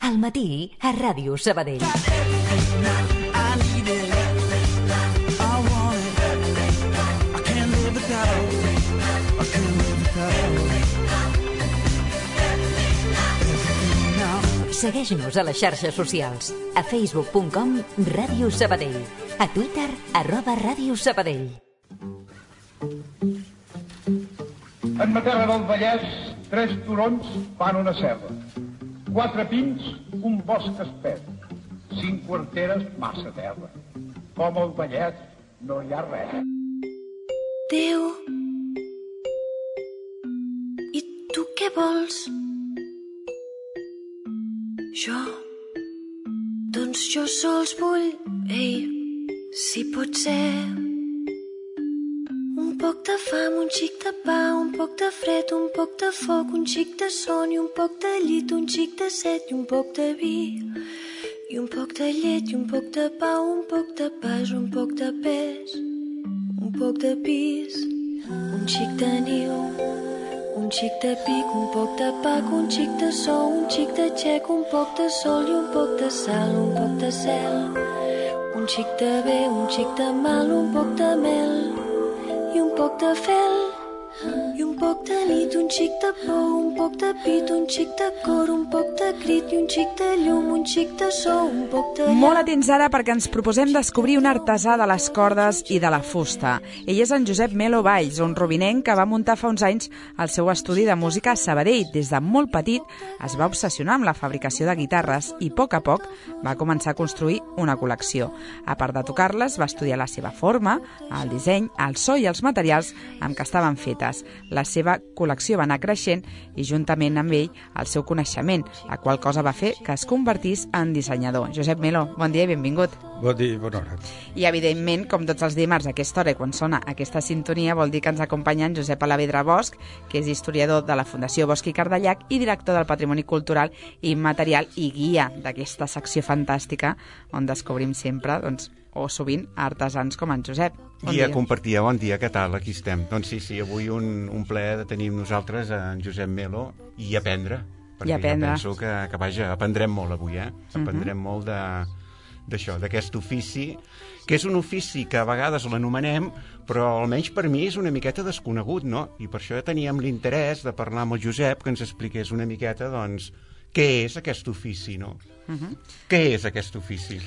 Al matí a Ràdio Sabadell. Segueix-nos a les xarxes socials. A facebook.com Ràdio Sabadell. A Twitter @Ràdio Sabadell. En Matera del Vallès, 3 turons fan una serra. 4 pins, un bosc espès. 5 quarteres, massa terra. Com al Vallès no hi ha res. Déu, i tu què vols? Jo? Doncs jo sols vull, si pot ser, un poc de fam, un xic de pa, un poc de fred, un poc de foc, un xic de son i un poc de llit, un xic de set i un poc de vi, i un poc de llet i un poc de pa, un poc de pas, un poc de pes, un poc de pis, un xic de niu, un xic de pic, un poc de pac, un xic de sou, un xic de xec, un poc de sol i un poc de sal, un poc de cel, un xic de bé, un xic de mal, un poc de mel i un poc de fel i un poc de nit, un xic de por, un poc de pit, un xic de cor, un poc de crit i un xic de llum, un xic de so, un poc de... Molt atents ara perquè ens proposem descobrir un artesà de les cordes i de la fusta. Ell és en Josep Melo Valls, un robinenc que va muntar fa uns anys el seu estudi de música a Sabadell. Des de molt petit es va obsessionar amb la fabricació de guitarres i a poc va començar a construir una col·lecció. A part de tocar-les, va estudiar la seva forma, el disseny, el so i els materials amb què estaven fetes. La seva col·lecció va anar creixent i juntament amb ell el seu coneixement, la qual cosa va fer que es convertís en dissenyador. Josep Melo, bon dia i benvingut. Bon dia i bona hora. I evidentment, com tots els dimarts a aquesta hora i quan sona aquesta sintonia, vol dir que ens acompanya en Josep Alavedra Bosch, que és historiador de la Fundació Bosch i Cardellac i director del Patrimoni Cultural i Immaterial i guia d'aquesta secció fantàstica on descobrim sempre, o sovint, artesans com en Josep. Guia compartia, bon dia, què tal? Aquí estem. Doncs sí, avui un plaer de tenir amb nosaltres en Josep Melo i aprendre. Perquè jo penso que vaja, aprendrem molt avui, Aprendrem molt d'això, d'aquest ofici, que és un ofici que a vegades l'anomenem, però almenys per mi és una miqueta desconegut, no? I per això teníem l'interès de parlar amb el Josep, que ens expliqués una miqueta, doncs, què és aquest ofici, no? Què és aquest ofici?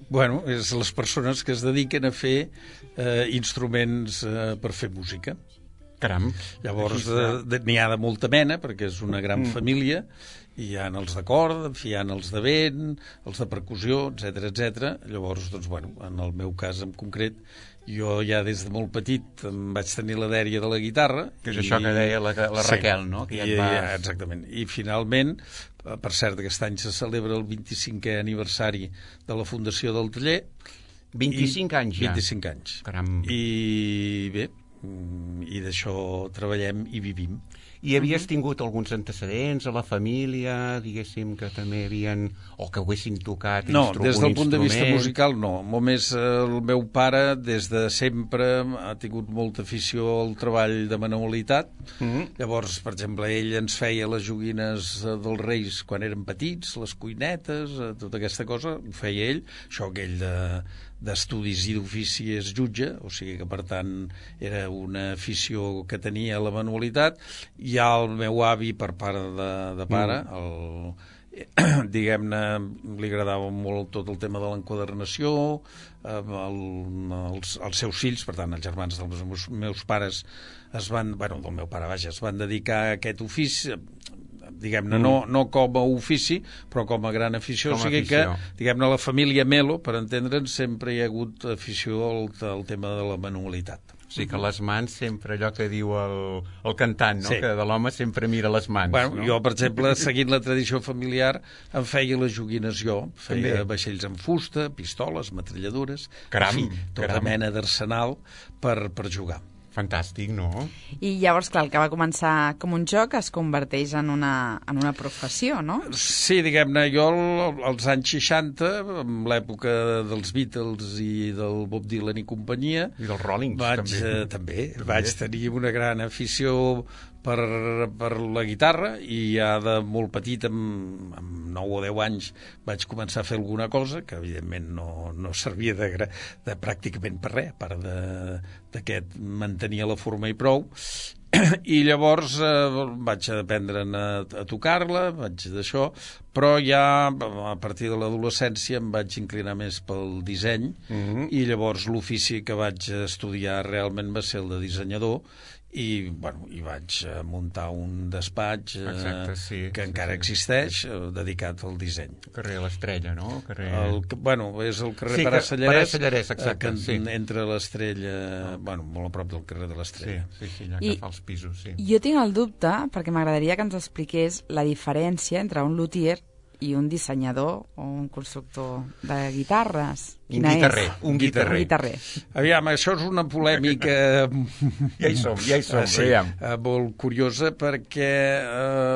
Bueno, és les persones que es dediquen a fer instruments per fer música. Caram. Llavors n'hi ha de molta mena, perquè és una gran família, hi ha els de corda, hi ha els de vent, els de percussió, etc. Llavors, doncs, bueno, en el meu cas en concret, jo ja des de molt petit em vaig tenir la dèria de la guitarra. Que és això que deia la Raquel, no? Que exactament. I finalment, per cert, aquest any se celebra el 25è aniversari de la fundació del taller. 25 anys ja? 25 anys. Caram. I bé, i d'això treballem i vivim. I havies tingut alguns antecedents a la família, diguéssim, que també havien, o que haguessin tocat un instrument? No, des del punt de vista musical no. Només el meu pare des de sempre ha tingut molta afició al treball de manualitat. Llavors, per exemple, ell ens feia les joguines dels Reis quan érem petits, les cuinetes, tota aquesta cosa, ho feia ell. Això que ell d'estudis i d'ofici és jutge, o sigui que, per tant, era una afició que tenia a la manualitat. Hi ha el meu avi per part de pare, diguem-ne, li agradava molt tot el tema de l'enquadernació, els seus fills, per tant, els germans dels meus pares es van dedicar a aquest ofici, diguem-ne, no com a ofici, però com a gran afició. O sigui que, diguem-ne, la família Melo, per entendre'ns, sempre hi ha hagut afició al tema de la manualitat. O sigui que les mans sempre, allò que diu el cantant, no? Sí. Que de l'home sempre mira les mans. Bueno, no? Jo, per exemple, seguint la tradició familiar, em feia les joguines jo. Feia vaixells en fusta, pistoles, metralladores, tota mena d'arsenal per jugar. Fantàstic, no? I llavors, clar, el que va començar com un joc es converteix en una professió, no? Sí, diguem-ne, jo als anys 60, en l'època dels Beatles i del Bob Dylan i companyia... I dels Rollings, també. Vaig tenir una gran afició per la guitarra, i ja de molt petit, amb 9 o 10 anys, vaig començar a fer alguna cosa que evidentment no servia de pràcticament per res, a part de que mantenia la forma i prou. I llavors vaig aprendre a tocar-la, vaig d'això, però ja a partir de l'adolescència em vaig inclinar més pel disseny, i llavors l'ofici que vaig estudiar realment va ser el de dissenyador, i vaig muntar un despatx que encara existeix, dedicat al disseny. Carrer l'Estrella, no? És el carrer Pare Sallarès, exacte, entre l'Estrella, molt a prop del carrer de l'Estrella. Sí, allà que fa els pisos, sí. Jo tinc el dubte, perquè m'agradaria que ens expliqués la diferència entre un luthier i un dissenyador o un constructor de guitarres. Un guitarrer. Aviam, això és una polèmica ja hi som, sí, molt curiosa, perquè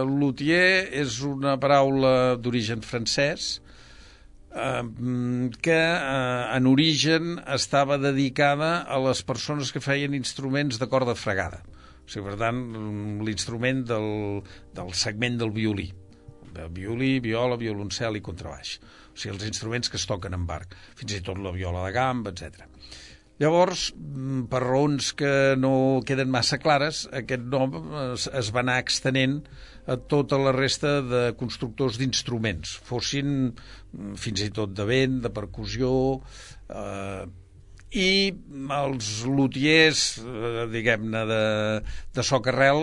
luthier és una paraula d'origen francès que en origen estava dedicada a les persones que feien instruments de corda fregada. O sigui, per tant, l'instrument del segment del violí. Violí, viola, violoncel i contrabaix. O sigui, els instruments que es toquen amb arc, fins i tot la viola de gamba, etc. Llavors, per raons que no queden massa clares, aquest nom es va anar extenent a tota la resta de constructors d'instruments, fossin fins i tot de vent, de percussió, i els luthiers, diguem-ne, de soca-arrel,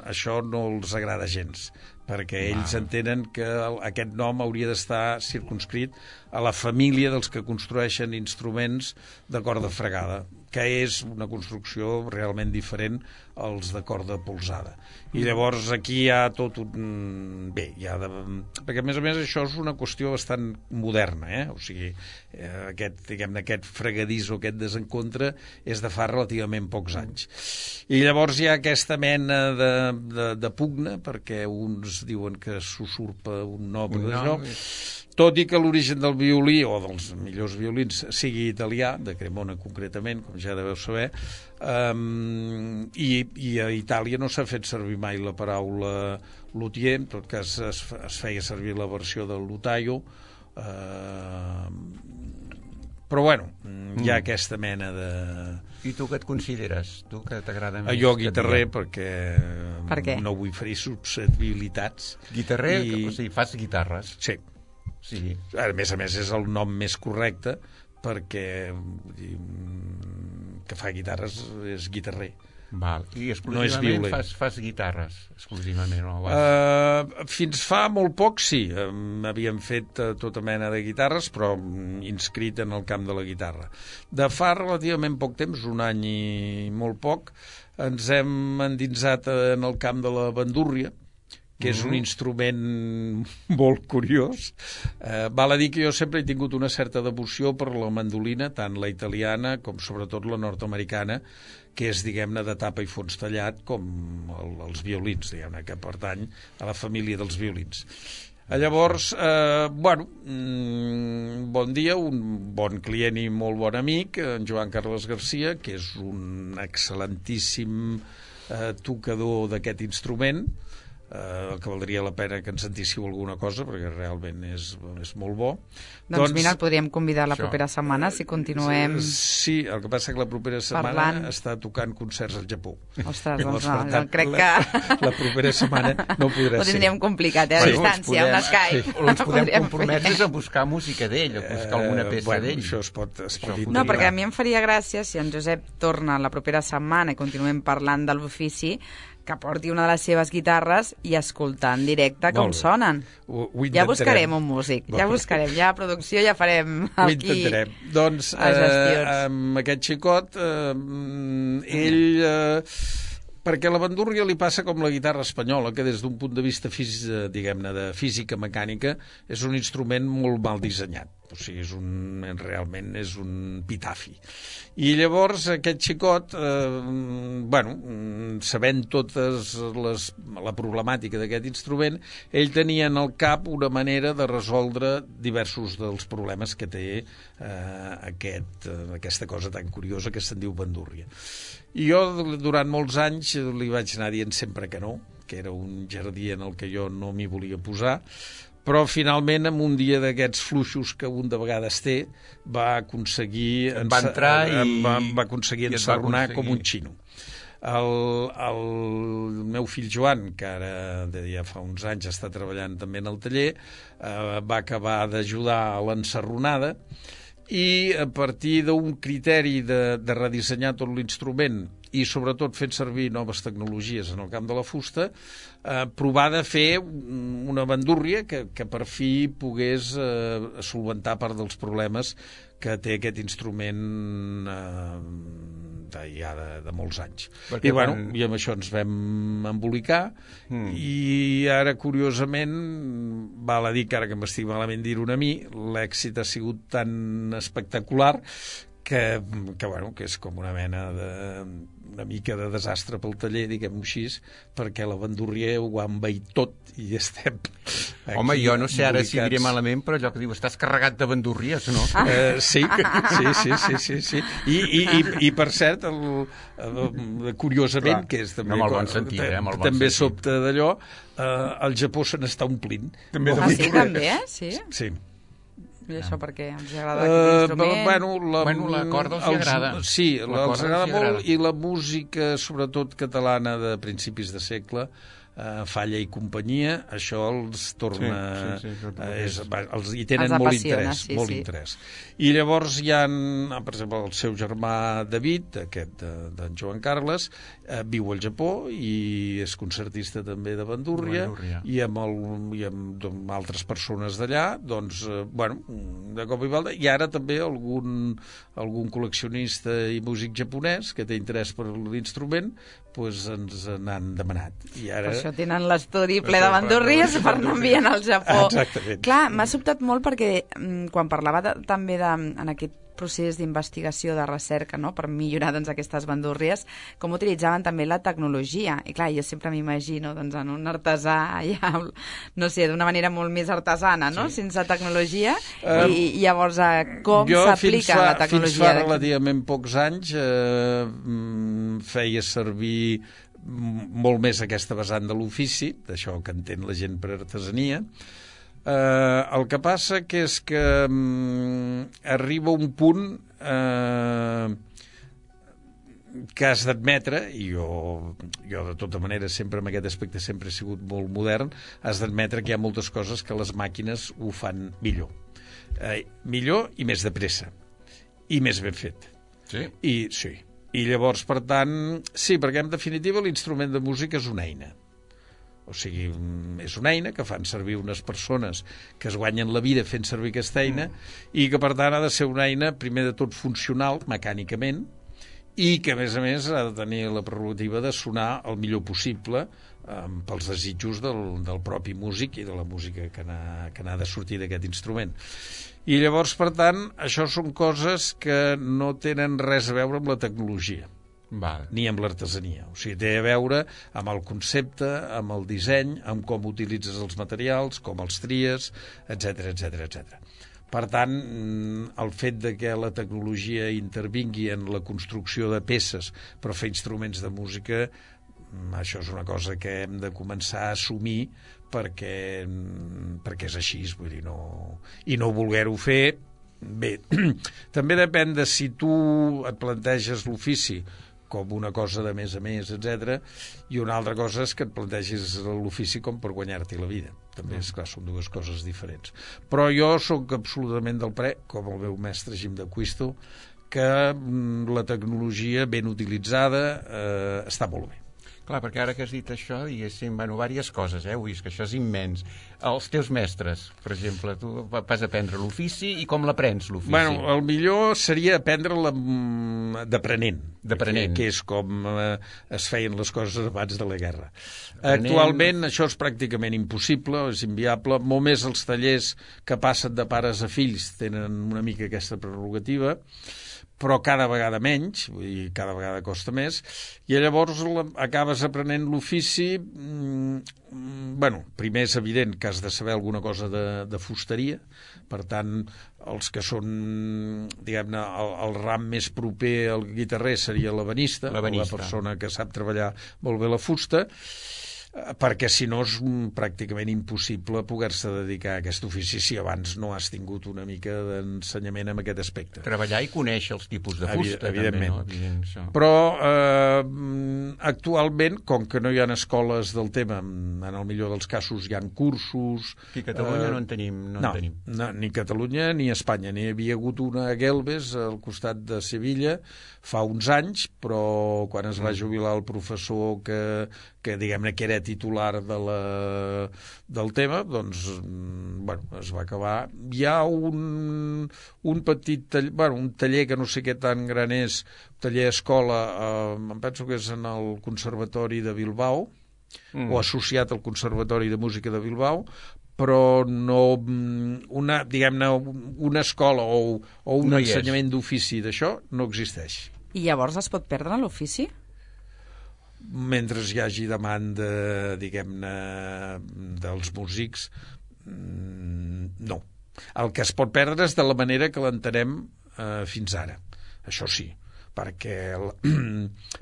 això no els agrada gens, perquè ells entenen que aquest nom hauria d'estar circumscrit a la família dels que construeixen instruments de corda fregada, que és una construcció realment diferent als de corda polsada. I llavors aquí hi ha tot un... perquè a més això és una qüestió bastant moderna, o sigui, aquest fregadís o aquest desencontre és de fa relativament pocs anys. I llavors hi ha aquesta mena de pugna, perquè uns diuen que s'usurpa un nom d'això, tot i que l'origen del violí, o dels millors violins, sigui italià, de Cremona concretament, com ja deveu saber, i a Itàlia no s'ha fet servir mai la paraula luthier, en tot cas es feia servir la versió del lutaio, però hi ha aquesta mena de... I tu què et consideres? Tu que t'agrada més? Jo guitarrer, perquè no vull ferir susceptibilitats. Guitarrer? O sigui, fas guitarres? Sí. Sí. A més és el nom més correcte, perquè que fa guitarres és guitarrer. Val. I exclusivament no fas guitarres, exclusivament, no? Fins fa molt poc, sí. Havíem fet tota mena de guitarres, però inscrit en el camp de la guitarra. De fa relativament poc temps, un any i molt poc, ens hem endinsat en el camp de la bandúrria, que és un instrument molt curiós. Val a dir que jo sempre he tingut una certa devoció per la mandolina, tant la italiana com sobretot la nord-americana, que és, diguem-ne, de tapa i fons tallat, com els violins, diguem-ne, que pertany a la família dels violins. Llavors, bon dia, un bon client i molt bon amic, en Joan Carles Garcia, que és un excel·lentíssim tocador d'aquest instrument, que valdria la pena que ens sentíssiu alguna cosa, perquè realment és molt bo. Doncs mira, el podríem convidar la propera setmana, si continuem... Sí, el que passa que la propera setmana està tocant concerts al Japó. Ostres, doncs no, crec que... La propera setmana no podrà ser. Ho tindríem complicat, a distància, amb l'Skype. O ens podem comprometre a buscar música d'ell, a buscar alguna peça d'ell. Això es pot dir. No, perquè a mi em faria gràcia si en Josep torna la propera setmana i continuem parlant de l'ofici, que porti una de les seves guitarres i escoltar en directe com sonen. Ja buscarem un músic, ja buscarem, ja a producció ja farem aquí... Ho intentarem. Doncs amb aquest xicot, ell... perquè la bandúrria li passa com la guitarra espanyola, que des d'un punt de vista, diguem-ne, de física mecànica, és un instrument molt mal dissenyat. O sigui, realment és un pitafi. I llavors aquest xicot, sabent la problemàtica d'aquest instrument, ell tenia en el cap una manera de resoldre diversos dels problemes que té aquesta cosa tan curiosa que se'n diu bandúrria. I jo, durant molts anys, li vaig anar dient sempre que no, que era un jardí en el que jo no m'hi volia posar, però finalment, en un dia d'aquests fluixos que un de vegades té, va aconseguir ensarronar com un xino. El meu fill Joan, que ara ja fa uns anys està treballant també en el taller, va acabar d'ajudar a l'ensarronada, i a partir d'un criteri de redissenyar tot l'instrument i sobretot fent servir noves tecnologies en el camp de la fusta, provar de fer una bandúrria que per fi pogués solventar part dels problemes que té aquest instrument ja de molts anys. I amb això ens vam embolicar i ara, curiosament, val a dir que ara que m'estic malament dir-ho a mi, l'èxit ha sigut tan espectacular que és com una mena una mica de desastre pel taller, diguem-ho així, perquè la bandúrria ho ha envaït tot i estem aquí. Home, jo no sé ara si diré malament, però allò que diu, estàs carregat de bandúrries, no? Sí. I per cert, curiosament, que és també... Amb el bon sentit, també sobte d'allò, al Japó se n'està omplint. Sí, també, sí? Sí. I això perquè ens agrada aquest instrument? La corda els agrada. Sí, els agrada molt, i la música, sobretot catalana de principis de segle, Falla i companyia, això els torna... hi tenen molt interès. I llavors hi ha, per exemple, el seu germà David, aquest d'en Joan Carles, viu al Japó i és concertista també de bandúrria, i amb altres persones d'allà, doncs, de cop i volta, i ara també algun col·leccionista i músic japonès que té interès per l'instrument, doncs ens n'han demanat. I ara... Per això tenen l'estudi ple de bandúrries per no enviar al Japó. Exactament. Clar, m'ha sobtat molt perquè quan parlava també en aquest procés d'investigació, de recerca, no?, per millorar aquestes bandúrries, com utilitzaven també la tecnologia. I clar, jo sempre m'imagino en un artesà, ja, no sé, d'una manera molt més artesana, no?, sense tecnologia, i llavors com s'aplica la tecnologia? Fins fa relativament pocs anys feia servir molt més aquesta vessant de l'ofici, d'això que entén la gent per artesania. El que passa que és que arriba un punt que has d'admetre, i jo de tota manera sempre en aquest aspecte sempre he sigut molt modern, has d'admetre que hi ha moltes coses que les màquines ho fan millor. Millor i més de pressa. I més ben fet. Sí? Sí. I llavors, per tant, sí, perquè en definitiva l'instrument de música és una eina. O sigui, és una eina que fan servir unes persones que es guanyen la vida fent servir aquesta eina i que, per tant, ha de ser una eina, primer de tot, funcional, mecànicament, i que, a més, ha de tenir la prerrogativa de sonar el millor possible pels desitjos del propi músic i de la música que n'ha de sortir d'aquest instrument. I llavors, per tant, això són coses que no tenen res a veure amb la tecnologia. Ni amb l'artesania. O sigui, té a veure amb el concepte, amb el disseny, amb com utilitzes els materials, com els tries, etc. Per tant, el fet de que la tecnologia intervingui en la construcció de peces per fer instruments de música, això és una cosa que hem de començar a assumir perquè és així, vull dir, i no voler-ho fer. Bé, també depèn de si tu et planteges l'ofici com una cosa de més a més, etc. I una altra cosa és que et plantegis l'ofici com per guanyar-t'hi la vida. També, és clar, són dues coses diferents. Però jo sóc absolutament del parer, com el meu mestre Jim de Quisto, que la tecnologia ben utilitzada està molt bé. Clar, perquè ara que has dit això, diguéssim, diverses coses, ho vist, que això és immens. Els teus mestres, per exemple, tu vas aprendre l'ofici i com l'aprens, l'ofici? Bueno, el millor seria aprendre-la d'aprenent, que és com es feien les coses abans de la guerra. Actualment això és pràcticament impossible, és inviable, molt més els tallers que passen de pares a fills tenen una mica aquesta prerrogativa, però cada vegada menys, vull dir, cada vegada costa més, i llavors acabes aprenent l'ofici. Bueno, primer és evident que has de saber alguna cosa de fusteria, per tant, els que són, diguem-ne, el ram més proper al guitarrer seria l'ebenista, la persona que sap treballar molt bé la fusta, perquè si no és pràcticament impossible poder-se dedicar a aquest ofici si abans no has tingut una mica d'ensenyament en aquest aspecte. Treballar i conèixer els tipus de fusta, evidentment. També, no? Evident, però actualment, com que no hi ha escoles del tema, en el millor dels casos hi ha cursos... Aquí a Catalunya no en tenim. No, ni Catalunya ni Espanya. N'hi havia hagut una a Gelbes, al costat de Sevilla, fa uns anys, però quan es va jubilar el professor que diguem-ne que era titular del tema, doncs bueno, es va acabar. Hi ha un petit taller, un taller que no sé què tan gran és, taller escola, em penso que és en el Conservatori de Bilbao, o associat al Conservatori de Música de Bilbao, però no diguem-ne, una escola o un ensenyament d'ofici d'això no existeix. I llavors es pot perdre l'ofici? Mentre hi hagi demanda, diguem-ne, dels músics, no. El que es pot perdre és de la manera que l'entenem fins ara, això sí, perquè,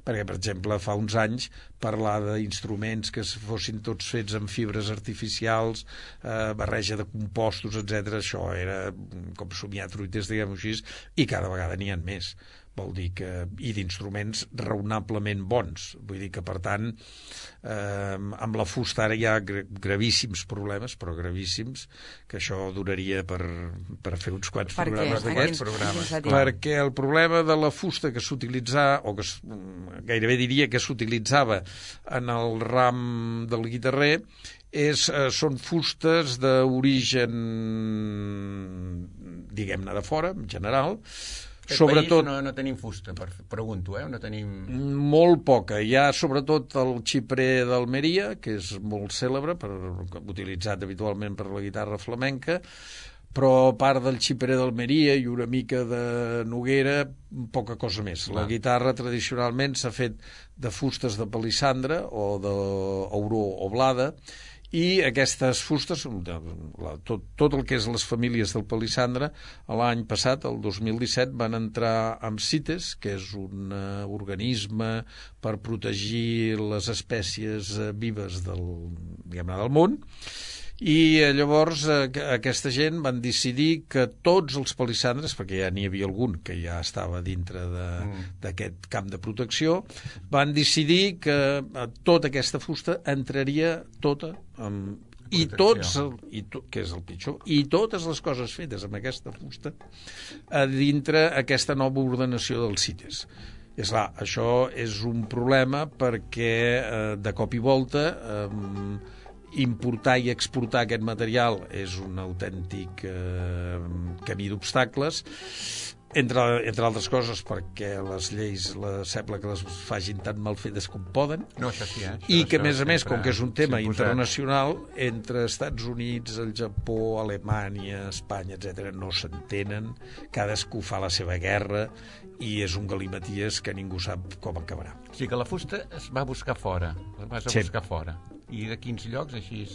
per exemple, fa uns anys parlar d'instruments que fossin tots fets amb fibres artificials, barreja de compostos, etc. Això era com somiar truites, diguem-ho així, i cada vegada n'hi ha més. Vol dir que, i d'instruments raonablement bons. Vull dir que, per tant, amb la fusta ara hi ha gravíssims problemes, però gravíssims, que això donaria per fer uns quants programes d'aquests. Perquè el problema de la fusta que s'utilitzava, o que gairebé diria que s'utilitzava en el ram del guitarrer, són fustes d'origen, diguem-ne, de fora, en general. Sobretot no tenim fusta, pregunto, no tenim... Molt poca. Hi ha sobretot el xiprer d'Almeria, que és molt cèlebre, utilitzat habitualment per la guitarra flamenca, però a part del xiprer d'Almeria i una mica de Noguera, poca cosa més. La guitarra tradicionalment s'ha fet de fustes de palissandre o d'auró o blada, i aquestes fustes, tot el que és les famílies del palissandre, l'any passat, el 2017, van entrar amb CITES, que és un organisme per protegir les espècies vives del món, i llavors aquesta gent van decidir que tots els palissandres, perquè ja n'hi havia algun que ja estava dintre d'aquest camp de protecció, van decidir que tota aquesta fusta entraria tota i tots, que és el pitjor, i totes les coses fetes amb aquesta fusta a dintre aquesta nova ordenació dels CITES. És clar, això és un problema perquè de cop i volta importar i exportar aquest material és un autèntic camí d'obstacles, entre altres coses perquè les lleis sembla que les facin tan mal fetes com poden, i que a més, com que és un tema internacional, entre Estats Units, el Japó, Alemanya, Espanya, etc., no s'entenen, cadascú fa la seva guerra i és un galimaties que ningú sap com acabarà. O sigui que la fusta es va buscar fora, buscar fora. I de quins llocs, així?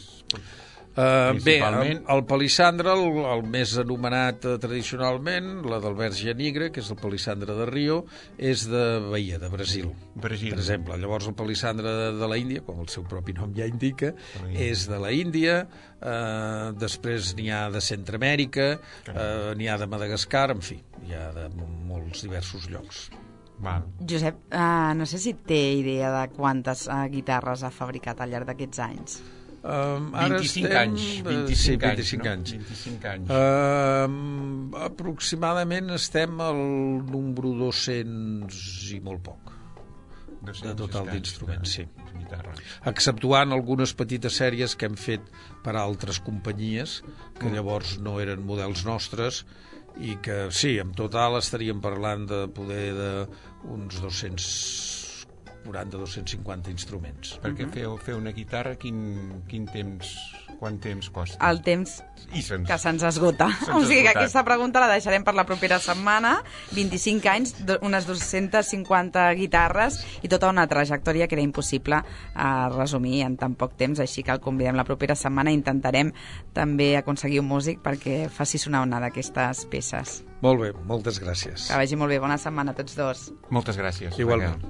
Bé, el palissandre, el més anomenat tradicionalment, la del verge nigre, que és el palissandre de Rio, és de Bahia, de Brasil. Per exemple. Llavors el palissandre de la Índia, com el seu propi nom ja indica, és de la Índia, després n'hi ha de Centreamèrica, n'hi ha de Madagascar, en fi, hi ha de molts diversos llocs. Josep, no sé si té idea de quantes guitarres ha fabricat al llarg d'aquests anys. 25 anys. Aproximadament estem al número 200 i molt poc. de total d'instruments, sí. Exceptuant algunes petites sèries que hem fet per a altres companyies, que llavors no eren models nostres, i que sí, en total estaríem parlant de poder d'uns 240-250 instruments. Perquè fer una guitarra, quant temps costa? El temps que se'ns esgota. O sigui que aquesta pregunta la deixarem per la propera setmana. 25 anys, unes 250 guitarres i tota una trajectòria que era impossible resumir en tan poc temps, així que el convidem la propera setmana i intentarem també aconseguir un músic perquè faci sonar una d'aquestes peces. Molt bé, moltes gràcies. Que vagi molt bé, bona setmana a tots dos. Moltes gràcies. Igualment.